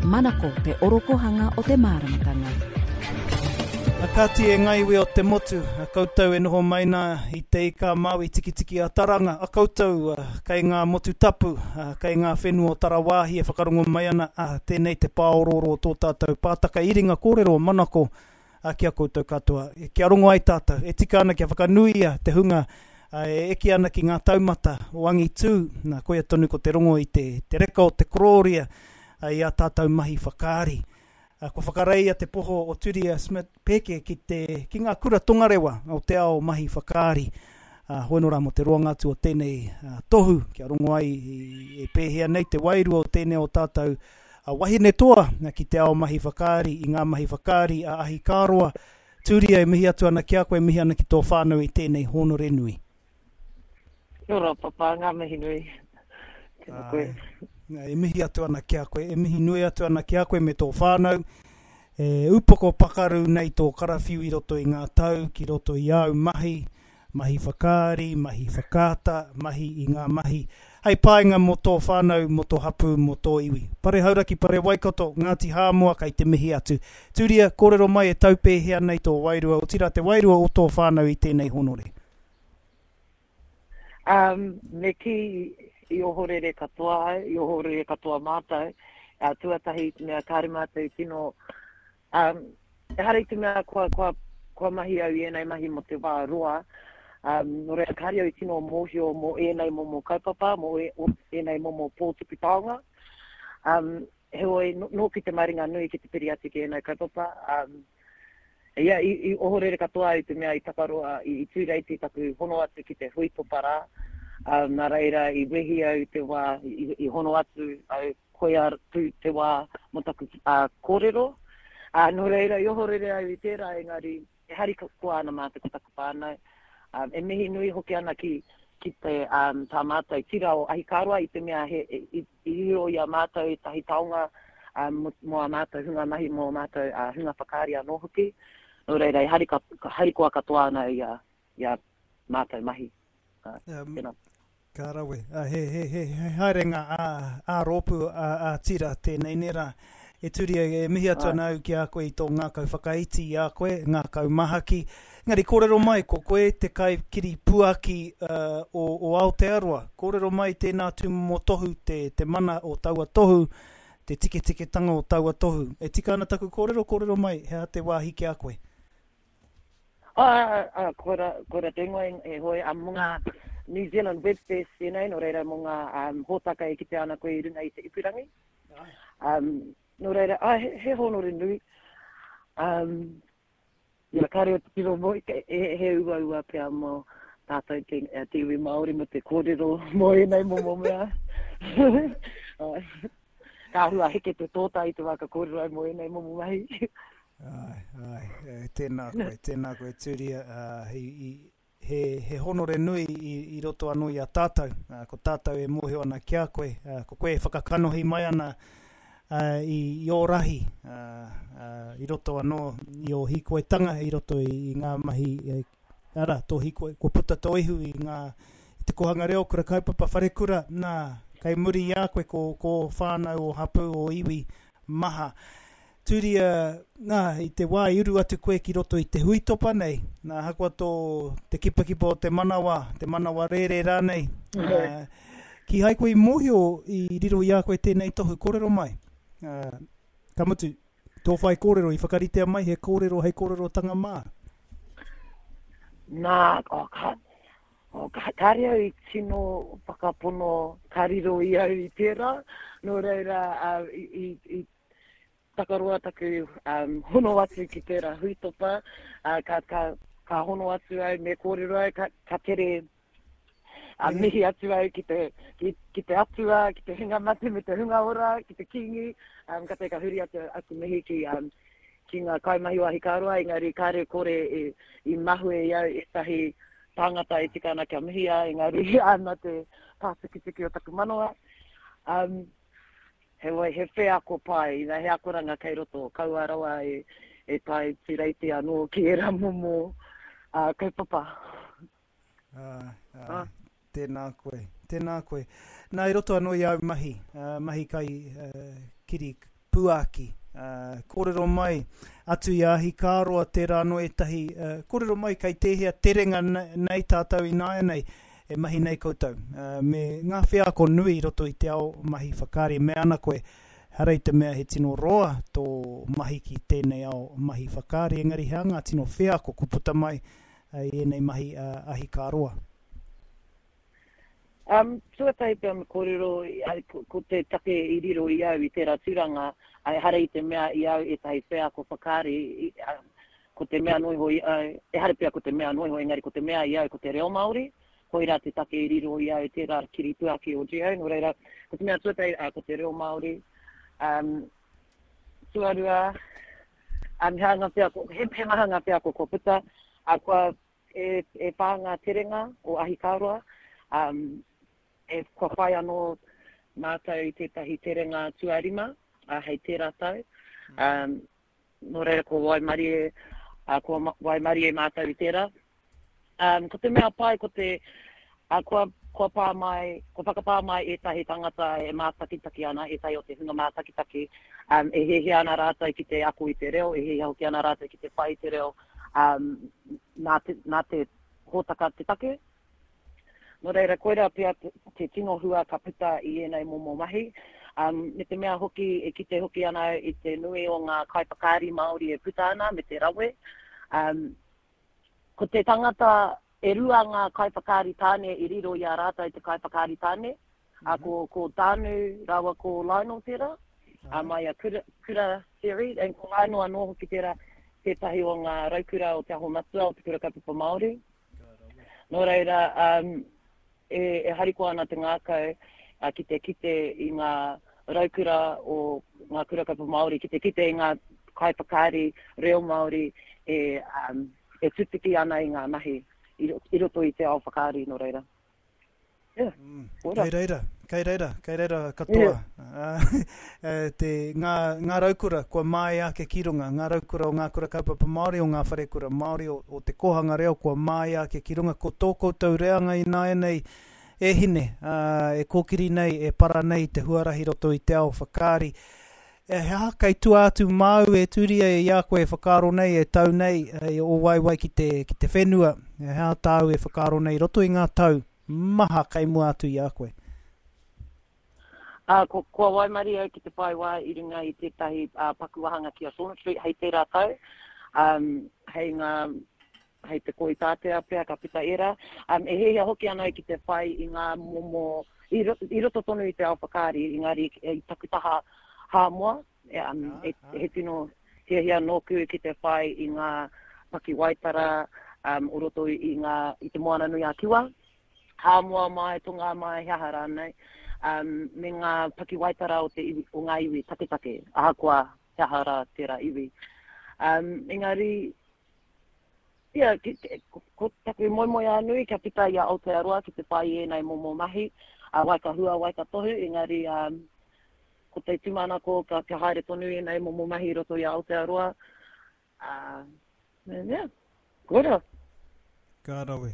Manako te orokohanga o te māramatanga. A Kati e nga iwi o te motu, a koutou e noho mai na i te ika a Maui tikitiki a Taranga, a koutou kei nga motu tapu, kei nga whenua o Tarawāhi e whakarongo mai ana, a tenei te pāorooro o tō tātou pātaka iringa kōrero o Manako, a ki a koutou katoa, kia rongo ai tātou, e tika ana kia whakanuia te hunga e eke ana ki ngā taumata o angitū, nā, koia tonu ko te rongo i te, te reka o te korōria i ā tātou mahi whakaari. Kua whakareia te poho o Turia Smith Peke ki te, ki ngā kura tongarewa o te ao mahi whakaari. Hoi nō rā mō te roanga atu o tēnei tohu, kia rongo ai e pēhea nei te wairua o tēnei o tātou A wahine toa ki te ao mahi whakaari i ngā mahi whakaari a Ahikāroa, Tūria e mihi atu ana ki a koe, mihi ana ki tō whānau i tēnei hōnore nui. Kia ora Papa, ngā mihi nui. Tēnā koe. E mihi atu ana ki a koe, e mihi nui atu ana ki a koe me tō whānau. E upoko pakaru nei tō karawhiu i roto i ngā tau, ki roto i āu mahi, mahi whakaari, mahi whakaata, mahi i ngā mahi hei painga mō tō whānau, mō tō hapū, mō tō iwi. Pare Hauraki, Pare Waikato, Ngāti Hāmoa kei te mihi atu. Tūria, kōrero mai e taupēhea nei tō wairua, otirā te wairua o tō whānau i tēnei honore. Um, me kī i ohorere katoa au, i ohorere katoa mātou. Uh, tuatahi i te mea kāre mātou tino Um, ehara i te mea kua, kua, kua mahi au i ēnei mahi mō te wā roa, um, nō reira kāre au i tino mōhio mō ēnei momo kaupapa, mō e, o, ēnei momo pō tuku taonga. Um, heoi, nōku te maringa nui ki te piri atu ki ēnei kaupapa. Um, ia, i, i ohorere katoa au i te mea i takaroa, i, i tūreiti taku hono atu ki te hui topa rā. Um, nā reira, i wehi au i te wā, i, i hono atu au Koia pū te wā mō taku kōrero. Ā, nō reira, i ohorere au i tērā, engari e harikoa ana mātou ko taku whānau. Ā, e mihi nui hoki ana ki, ki te, ā, tā mātou tira o Ahikāroa i te mea he, i, i riro i a mātou ētahi taonga, ā, mō, mō ā mātou hunga mahi, mō ā mātou, ā, hunga whakaari anō hoki. Nō reira, e harika, harikoa katoa ana i a, i ā mātou mahi. Ā, tēnā. Ka rawe. He, he, he, he haerenga ā, ā-rōpū, ā, ā-tira tēnei, nē rā? E Turia, e mihi atu ana au ki a koe i tō ngākau whakaiti i a koe, ngākau mahaki. Engari kōrero mai, ko koe te kaikiripuaki uh, o, o Aotearoa. Kōrero mai tēnā tūmomo tohu, te, te mana o taua tohu, te tiketiketanga o taua tohu. E tika ana taku kōrero, kōrero mai, he aha te wāhi ki a koe? Ā, ā, koira, koira te ingoa e hoe, ā, mō ngā New Zealand Web Fest tēnei, nō reira mō ngā um, hōtaka e kitea ana koe i runga i te ipurangi. Um, nō reira, ā, he, he hōnore nui. Um, ia, kāre o te tiro mō, he, he uaua pea mō tātou te, eh, te iwi Māori mō te kōrero mō ēnei momo mea. Ka hua heke te tōtā i te wā ka kōrero ai mō ēnei momo mahi. Āe, āe, e, tēnā koe, tēnā koe Turia, uh, i, i, he, he honore nui i, i roto anō i a tātou, uh, ko tātou e mōhio ana ki a koe, uh, ko koe e whakakanohi mai ana uh, i, i ō rahi, uh, uh, i roto anō i ō hīkoitanga, i roto i, i ngā mahi, e, arā, tō hīkoi, kua puta tō ihu i ngā, i te kōhanga reo, kura kaupapa, wharekura, nā, kei muri i a koe ko, ko ō whānau, ō hapū, ō iwi maha. Turia, nā, i te wā i uru atu koe ki roto i te huitopa nei, nā, ahakoa tō te kipakipa o te manawa, te manawa rērē rānei, ā, kīhai koe i mōhio i riro i a koe tēnei tohu, kōrero mai. Ā, ka mutu, tō whaikōrero i whakaritea mai he kōrero hei kōrerotanga mā. Nā, oh, ka, oh, ka, kāre au i tino whakapono ka riro i au i tērā, nō reira, ā, i, i, i Takaroa taku um, hono atu ki tērā huitopa, uh, ka, ka, ka hono atu au, me kōrero au, ka, ka tere uh, mihi atu au ki te, ki, ki te atua, ki te hunga mate me te hunga ora, ki te kīngi, um, ka te ka huri atu aku mihi ki, um, ki ngā kaimahi o Ahikāroa, engari kāre kore i, i mahue i au ētahi tāngata e tika ana kia mihia, engari ana te pātukituki o taku manawa. Um, Heoi, he wheako pai, ina he akoranga kei roto, kaua rawa e, e tae tūreiti anō ki ērā momo uh, kaupapa. Uh, uh, ah. Tēnā koe, tēnā koe. Nā, i roto anō i āu mahi, uh, mahi kai uh, kiri puaki. Kōrero mai, atu i a Ahikāroa tērā anō ētahi, kōrero mai kei tēhea terenga nei tātou ināianei e mahi nei koutou, me ngā wheako nui i roto i te ao mahi whakaari. Me ana koe, ehara i te mea he tino roa tō mahi ki tēnei ao mahi whakaari, engari he aha ngā tino wheako kua puta mai i ēnei mahi ahikāroa? Um, tuatahi pea me kōrero, ko te take i riro i au i tērā tūranga, ehara i te mea i au ētahi wheako whakaari, ko te mea noa iho i au, ehara pea ko te mea noa iho, engari ko te mea i au ko te reo Māori, koirā te take i riro i au tērā kiripuaki o Geo, nō reira, ko te mea tuatahi, ko te reo Māori. Um, tuarua, um, he aha ngā wheako, he, he maha ngā wheako kua puta, uh, kua E, e whā ngā terenga o Ahikāroa, um, e, kua whai anō mātou i tētahi terenga tuarima uh, hei tērā tau. Mm. Um, nō reira ko waimarie, uh, kua waimarie mātou i tērā. Um, ko te mea pai, ko te, uh, kua, kua pā mai, kua whakapā mai ētahi tangata e mātakitaki ana, ētahi o te hunga mātakitaki, um, e hiahia ana rātou ki te ako i te reo, e hiahia hoki ana rātou ki te whai i te reo, um, nā, te, nā te hōtaka te take. Nō reira, koirā pea te, te tino hua ka puta i ēnei momo mahi. Um, me te mea hoki, e kite hoki ana au i te nui o ngā kaiwhakaari Māori e puta ana me te rawe. Um, ko te tangata, e rua ngā kaiwhakaari tāne i riro i a rātou te kaiwhakaari tāne. Mm -hmm. ko, ko Tānu rāua ko Lionel tērā, uh, mai a Kura, Kura series, and ko Lionel anō hoki tērā tētahi o ngā raukura o Te Aho Matua o Te Kura Kaupapa Māori. Nō reira, um, e, e harikoa ana te ngākau uh, ki te kite i ngā raukura o ngā kura kaupapa Māori, ki te kite i ngā kaiwhakaari reo Māori e, um, e tutuki ana i ngā mahi i, i roto i te ao whakaari, nō reira. Yeah. Mm. Kei reira, kei reira, kei reira katoa. Yeah. Uh, te, ngā, ngā raukura kua māia ake ki runga, ngā raukura o ngā kura kaupapa Māori, o ngā wharekura Māori, o, o te kōhanga reo kua māia ake ki runga. Ko tō koutou reanga ināianei e hine, uh, e kōkiri nei, e para nei te huarahi roto i te ao whakaari. E, he aha kei tua atu māu e Turia i a koe e whakaaro nei, e tau nei, e ō waewae ki te, ki te whenua, he aha tāu e whakaaro nei i roto i ngā tau maha kei mua atu i a koe? Ā, ko, kua waimarie au ki te whai wā i runga i tētahi ā, paku wāhanga ki a Saunders Street hei tērā tau, um, hei ngā, hei te Kohitātea pea ka puta ērā. Um, e hiahia hoki ana au ki te whai i ngā momo, i, ro, i roto tonu i te ao whakaari, engari i taku taha Hāmoa, e, um, e, he tino hiahia nōku ki te whai i ngā pakiwaitara um, o roto i, i, ngā, i te Moana Nui a Kiwa. Hāmoa mai, Tonga mai, he aha rānei, um, me ngā pakiwaitara o, te iwi, o ngā iwi taketake, ahakoa he aha rā tērā iwi. Um, engari, Ia, ki, ko, ko taku moemoeā nui kia puta i a Aotearoa ki te whai i ēnei momo mahi, a wai ka hua, wai ka tohu, engari um, ko te tūmanako ka, kia haere tonu ēnei momo mahi i roto i a Aotearoa. Uh, yeah, koira. Ka rawe.